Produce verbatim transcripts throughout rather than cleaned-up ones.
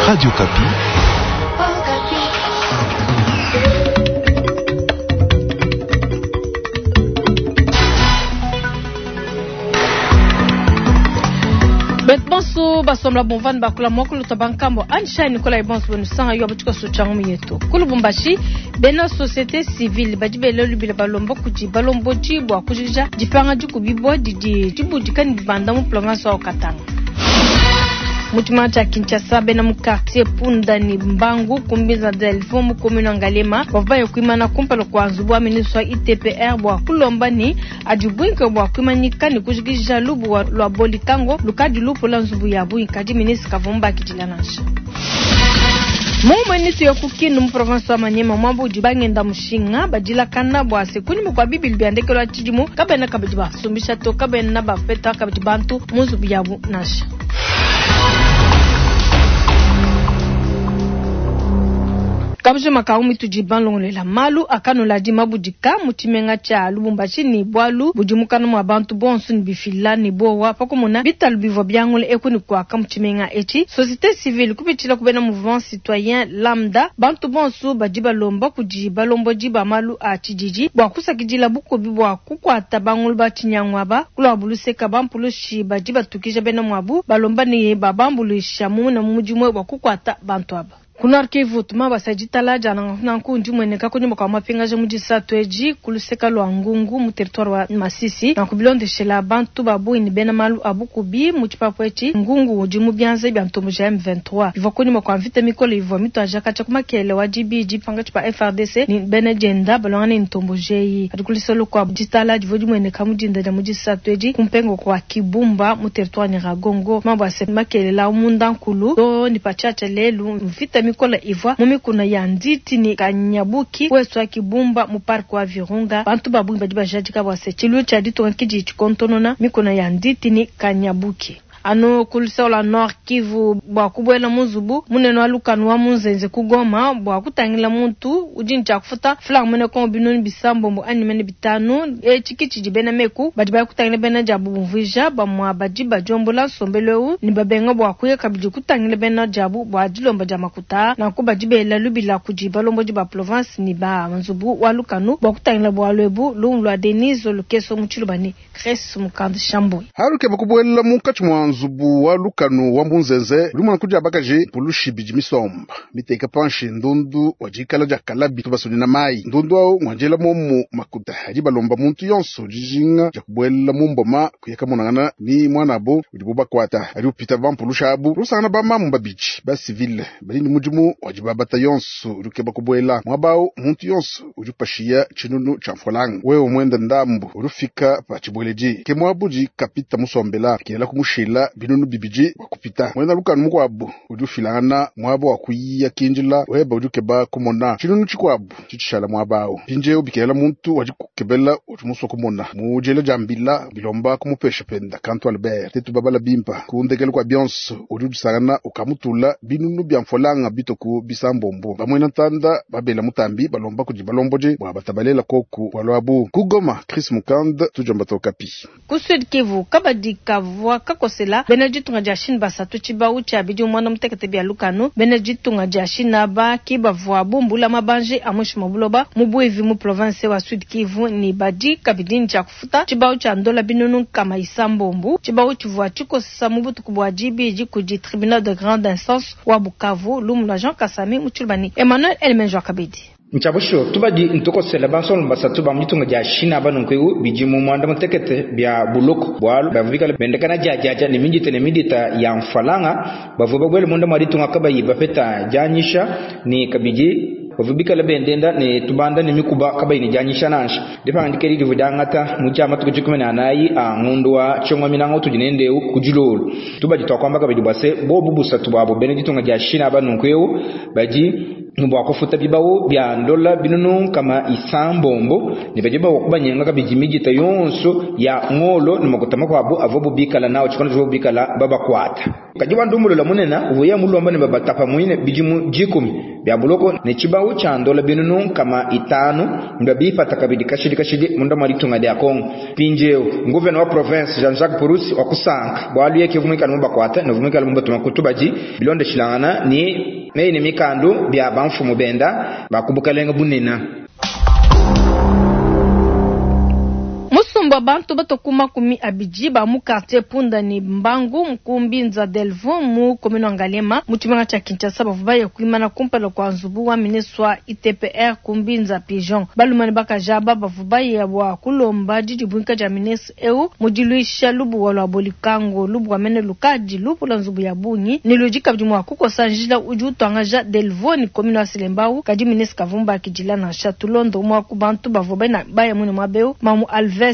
Radio Okapi. Bonso basomla bonvani bakula mwakulu tabankambo ansha Nicolas Bonso benu sanga yo abutuka sochangu yetu kulubumbashi bena société civile badi bele lubila balomba kudi balomboji bwa kujija dipanga dikubibwa didi dibudika ni bibanda mu province wa Katanga. Mutima cha Kinshasa bena mu quartier Punda ni Mbangu kumbiza Delvaux mu commune Ngalema bavaye kuimana kumpala kwa nzubu wa ministre wa I T P R bwa kulomba ni adibwinke bwa kuimanyika ni kujikija lubu wa lwa bolikango lukadi lupo la nzubu ya bwinka di ministre kavumba kijilanansha. Mumwe yo kukinu mu province wa Maniema mwambu udi mushinga badila kana bwa sekuni mukwa bibili byandekelo achidimu kabena kabidi basumbisha to kabena bafeta kabidi bantu mu nzubu yabu nasha. Kabuje makau mituji banlongolela malu akanula di mabudika mutimenga cha Lubumbashi ni bwalu budimukana mwa bantu bonso ni bifila ni bowa pakumuna bitalu bivwa byangule ekuni kwaka mutimenga echi société civile kupitila kubena mouvement citoyen lambda bantu bonso badi balomba kudi balombo ba malu a chijiji bwa kusakidila bukobi bwa kukwata bangulu ba chinyangwa ba kulwa buluseka bampulushi badi batukija bena mwabu balomba ni babambulisha mumuna mumujimwe bwa kukwata bantu aba. Kunar Kivu tuma basajitala jana nanku ndi mweneka kunyuma kwa mapinga je mujisa tweji kuluseka lwa ngungu mu territoire wa Masisi na kubilondeshela bantu babu ni bena malu abukubi mu chipapo echi ngungu udi mu byanze bya ntombo ja M vingt-trois bivwa kunyuma kwa mvita mikolo ivwa mito ajaka cha kumakele wa G B G panga chipa F R D C ni bena jenda balonga ni ntombo jeyi adikulisolo kwa jitala divo di mweneka mujinda ja mujisa tweji kumpengo kwa Kibumba mu territoire Nyiragongo mambo ase makele la umunda nkulu do ni pachacha lelu mvita mikola ivwa mumikuna ya nditi ni kanyabuki wesu akibumba mu park wa Virunga bantu babu badi bajadika bwase chilu cha ditonga kiji chikontonona mikuna ya nditi ni kanyabuki ano kulisa la Nord Kivu bwa kubwela muzubu muneno alukanu wa munzenze kugoma bwa kutangila muntu ujinja kufuta flag mene ko binoni bisambombo ani mene bitanu e chikichi jibena meku badi ba kutangila bena jabu bumvija ba mwa badi bajombola sombeleu ni babenga bwa kuye kabidi kutangila bena jabu bwa dilomba ja makuta na ko badi bela lubila kujiba lombo ba province ni ba nzubu wa lukanu bwa kutangila bwa lwebu lumlwa Denise Lukeso muchilubani Chris Mukand Shambo haruke bakubwela mukachi mwa nzubu wa lukanu wa munzenze uli mwana kuja bakaje pulushi biji misomba miteka panshi ndundu wajikala ja kalabi tubasuni na mai ndundu awo mwanjela momu makuta haji balomba muntu yonso jijinga ja kubwela mumboma kuyeka munangana ni mwanabo udi bakwata ali upita bampulusha abu rusangana ba mamu babiji ba civile bali ni mujimu wajibabata yonso uri bakubwela mwabao muntu yonso uri pashiya chinunu cha mfolanga wewe mwenda ndambu urufika pa chibweleji ke mwabuji kapita musombela kela kumushila binunu bibiji wakupita mwenda lukanu mukwabu udi ufilangana mwabo wakuyiya kinjila weba udi ukeba kumona chinunu chikwabu chichishala mwabawo pinje ubikela muntu waji kukebela udi muswa kumona mujele jambila bilomba kumupesha penda kantu Albert tetu babala bimpa kundekele kwa bionso udi udisangana ukamutula binunu bya mfolanga bitoku bisambombo bamwena ntanda babela mutambi balomba kudi balomboje bwa batabalela koku walwabu kugoma Chris Mukand tujomba tokapi ku Sud Kivu kabadi kavwa kakosela bena ditunga dia Chine basatu tshibau tshia bidi mwana mutekete bia lukanu bena ditunga dia Chine ba kibavwa bumbula mabanje amushi mabuloba mubwevi mu province wa Sud Kivu ni badi kabidi ncha kufuta tshibau tshia ndola binunu kama isambombu tshibau tshivwa tshikosa mubutuku bwa jibiji kudi tribunal de grande instance wa Bukavu lumu la Jean Kasami mutshilubani Emmanuel Elmenjo kabidi Nchabusho tubadi ntokosela bansolo basatu ba mutunga ja China banunkweu bijimu mwanda mutekete bya buloko bwalu bavikala bendekana jajaja ne minjite ne midita ya mfalanga bavuba bwele munda mwaditunga kabayi bapeta janyisha ni kabiji bavubikala bendenda ne tubanda ne mikuba kabayi ne janyisha nansha dipangandikeli livudangata mujama tukujikumi na anayi a ngundu wa chongwa minango tujinendeu kujilolo tubadi twakwamba kabidi bwase bobu busatu bwabo bene ditunga ja China banunkweu baji Ne bua kufuta bibawu bia ndola binunu nkama isambombo ne badi bua kubanyenga kabidi midita yonso ya ngolo ne makuta makuabu avuabu bikala nawo tshikondo tshivuabu bikala babakuata. Kadi bandumbulula munene uvuya mulomba ne babatapa muine bidimu dikumi bia buloko ne tshibawu tshia ndola binunu nkama itanu mbabipata kabidi kashidi kashidi munda mwa ditunga dia Kongo. Mpindieu nguvena wa province Jean-Jacques Purusi wa kusanka bualu yeke vumikala mubakuata ne vumikala mubatuma kutubadi bilondeshilangana ni meyi ne mikandu bia bamfumu benda bakubukalenga bunene. Musumba bantu batokuma kumi abidi ba mu quartier Punda ni Mbangu Mkumbi Nza Delvaux mu commune wa Ngaliema mu tshimenga tshia Kinshasa bavua baya kuimana kumpala kua nzubu wa ministre wa I T P R Kumbinza Pigeon. Balume ne bakaji aba bavua baya bua kulomba didibuinka dia ministre eu mu diluisha lubuwa lua Bolikango lubuwa mene lukadi lupula nzubu ya bungi ne ludi kabidi mua kukosa njila udi utuangaja Delvaux ni commune wa Selembao kadi ministre Kavumba akidila nansha tulondo umue wa ku bantu bavua baya mune muaba eu Mamu Alves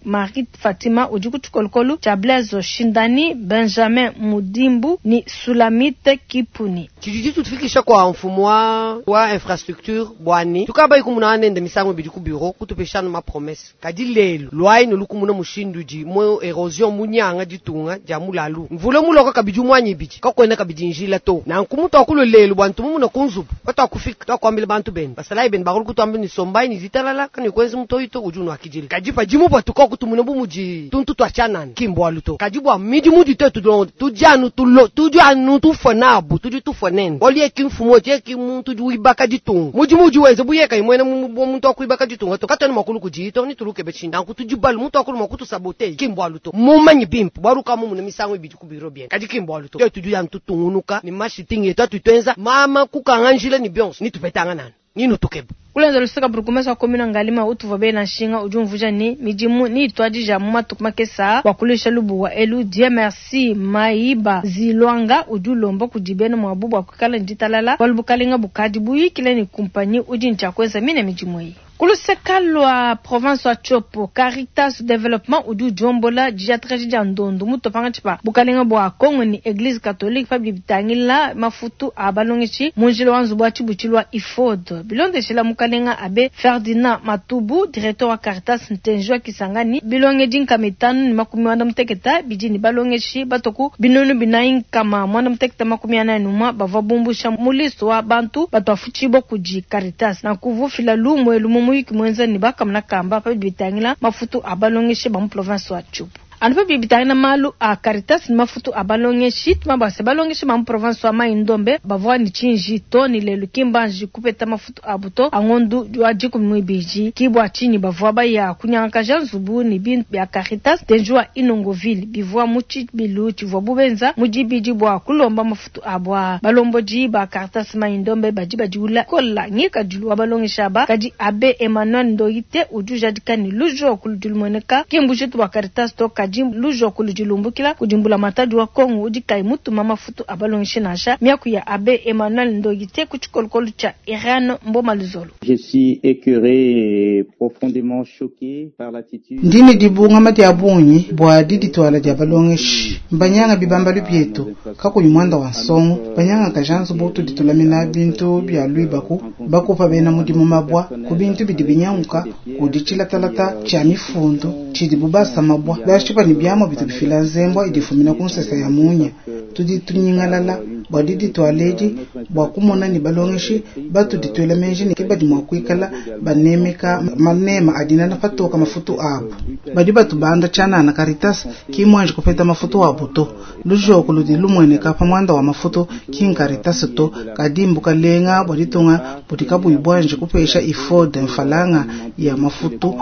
Marie Fatima udi ku tshikolokolo tshia Blaise Shindani Benjamin Mudimbu ni Sulamite Kipuni. Tshidi tutufikisha kwa mfumo wa, wa infrastructure bwani tukaba ikumuna nende misango bidi ku bureau kutupeshana ma promesse kadi lelo lwai no lukumuna mushindu di mo erosion munyanga ditunga dia mulalu mvula muloka kabidi mwanyi bidi kakwenda kabidi njila to na nkumuto akulo lelo bwantu mumuna kunzubu batwa kufika twakwambila bantu benu basalai benu bakulu kutwambila ni sombai ni zitalala kani kwenzi mutoyito udi unwakidile kadi padimu bwa tuka kutumuna bumuji tuntu twachanana kimbwalu to kadi bwa midi mudi tetu do tujanu tulo tujanu tufanabu tudi tufanene olie kimfumo je kimuntu juibaka ditunga mudi mudi wenze buyeka imwene muntu akuibaka ditunga to katani makulu kujito ni tuluke bechinda nkutujibalu muntu akulu makutu sabote kimbwalu to mumanyi bimpu baruka mu misango ibidi ku biro bien kadi kimbwalu to tetu janu tutungunuka ni mashitingi yetu atutwenza mama kukanganjile ni bionso ni tupetanga nani nino tukeba Kulenza lusaka burugumesa wa komina Ngalima utuva bena nshinga udi umvuja ni midimu ni itwadija mu matuku makesa wakulisha lubuwa elu Dieu merci Maiba Zilwanga udi ulomba kudi bena mwabu bwa kuikala nditalala walubukalenga bukadi buyikile ni kumpanyi udi ntshakweza mine midimu eyi. Kuluseka lwa province wa Tshopo Caritas Development udi udiombola diatraji dia ndondo mutopanga tshipa bukalenga bwa Kongo ni Eglise Catholique pa bitangila mafutu a balongeshi munjila wa nzubu wa tshibutshilu wa I F O D bilondeshela mukalenga abe Ferdinand Matubu directeur wa Caritas Ntenji wa Kisangani bilonge nkama itanu ni makumi mwanda muteketa bidi ni balongeshi batoku binunu binayi nkama mwanda muteketa makumi anayi numwa bavua bumbusha muliso wa bantu batwafutshibwa kudi Caritas na kuvufila lumwe lumu muyuki mwenza ni bakamuna kamba pa bitangila mafutu abalongeshe ba mu province wa Tshopo. Anu pa bitangila malu a Caritas ni mafutu abalongeshi tumabase balongeshe ba mu province wa Mai-Ndombe bavua ni tshinji to ni lelu kimbanji kupeta mafutu abuto angondu wa dikumi muibidi kibwa tshinyi bavua baya kunyangakaja nzubu ni bintu bya Caritas tenjua Inongoville bivua mu tshibilu tshivua bubenza mu dibidi bua kulomba mafutu abwa balombodi ba Caritas Mai-Ndombe badi badiula kola ngikadilu wa balongesha ba kadi abe Emmanuel Ndoyite udi ujadika ni lujo kuludilumueneka kimbujitu bwa Caritas to kadi lujo kuludilumbukila kudimbula matadi wa Kongo udi kai mutuma mafutu abalongeshe nansha miaku ya abe Emmanuel Ndoyite ku tshikolokolo tshia Iran Mboma Luzolo. Je suis écœuré et profondément choqué par l'attitude. Ndine dibunga mati abunyi bwa diditwala dia balongeshi mbanyanga bibamba lubietu kakuyi mwanda wa nsongo banyanga kajanzu butu ditulamina bintu bya lwibaku bakupa bena mudimu mabwa ku bintu bidi binyanguka kudi tshilatalata tshia mifundu tshidi bubasa mabwa bashipa ni byamo bitu bifila nzembwa idifumina ku nsesa ya munya tudi tunyingalala bwa diditwaledi bwa kumona ni balongeshi batu ditwela menji ni kibadi mwa kuikala banemeka manema adina na patoka mafutu abu badi batu banda chana na Caritas kimwanje kupeta mafutu abu to lujoko ludi lumweneka pa mwanda wa mafutu kin Caritas to kadimbu kalenga bwa ditunga budika buibwanje kupesha I F O D mfalanga ya mafutu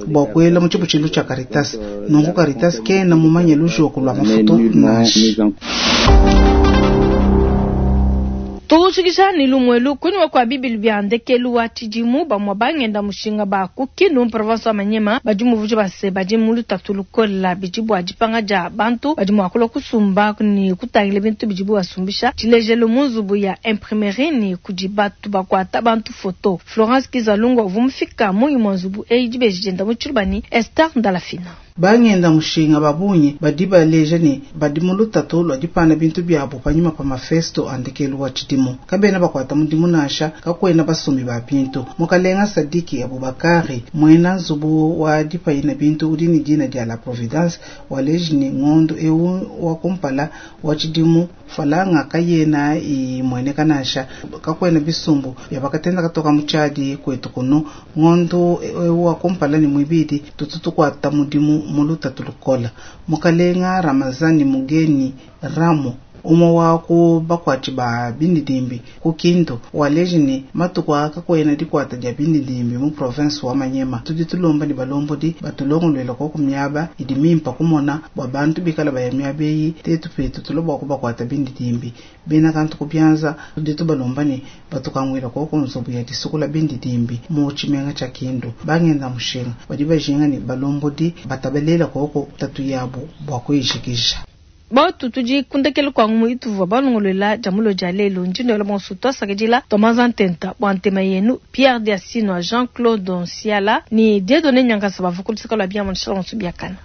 bwa kwela mu tshibutshilu tsha Caritas nungu Caritas kena mumanye lujoko lwa mafutu nashi. Tukushikisha ni lumwelu kunywa kwa bibili bya ndekelu wa tshidimu bamwa bangenda mushinga ba ku Kindu province wa Manyema badi muvuji base badi mu lutatu lukola bidi bua dipanga dia bantu badi mua kulua kusumba ni kutangila bintu bidi basumbisha tshilejelu mu nzubu ya imprimerie ni kudi batu bakuata bantu foto. Florence Kizalungu uvua mufika mu imue nzubu eyi dibeji dienda mu tshiluba ni Esther Ndalafina. Bangenda mushinga ba bungi badi baleja ne badi mu lutatu lua dipana bintu biabu panyima pa mafesto a ndekelu wa tshidimu. Kabena bakuata mudimu nansha, kakuena basumbi ba bintu. Mukalenga Sadiki Abubakari muena nzubu wa dipayina bintu udi ne dina dia La Providence waleji ne ngondu ewu wa kumpala wa tshidimu falanga kayena imueneka nansha, kakuena bisumbu bia bakatenda katoka mu tshiadi kwetu kunu. Ngondu ewu wa kumpala ne muibidi tutu tukuata mudimu mu lutatu lukola. Mukalenga Ramazani Mugeni Ramo umwe wa ku bakwatshi ba bindidimbi ku Kindu waleji ne matuku aka kakuena dikwata dia bindidimbi mu province wa Manyema. Tudi tulomba ne balombodi batulongoluela koku miaba idi mimpa kumona bua bantu bikala baya miaba eyi tetu petu tulo bua kubakwata bindidimbi bena kantu kubyanza. Tudi tubalomba ne batukanguila koku nzubu ya disukula bindidimbi mu tshimenga tshia Kindu. Bangenda mushinga badi bajinga ne balombodi batabalela koku tatu yabu bua kuyijikija. Batu tudi kundekele kwa ngumu ituvua balongolola dia mulo dia lelo ndinoela bonso twasakidila tomaza ntenta bua ntema yenu Pierre Diasino Jean-Claude Nsiala ni Dieudonné Nyankasa bavua kuluseka lua biamu nshala bonso biakana.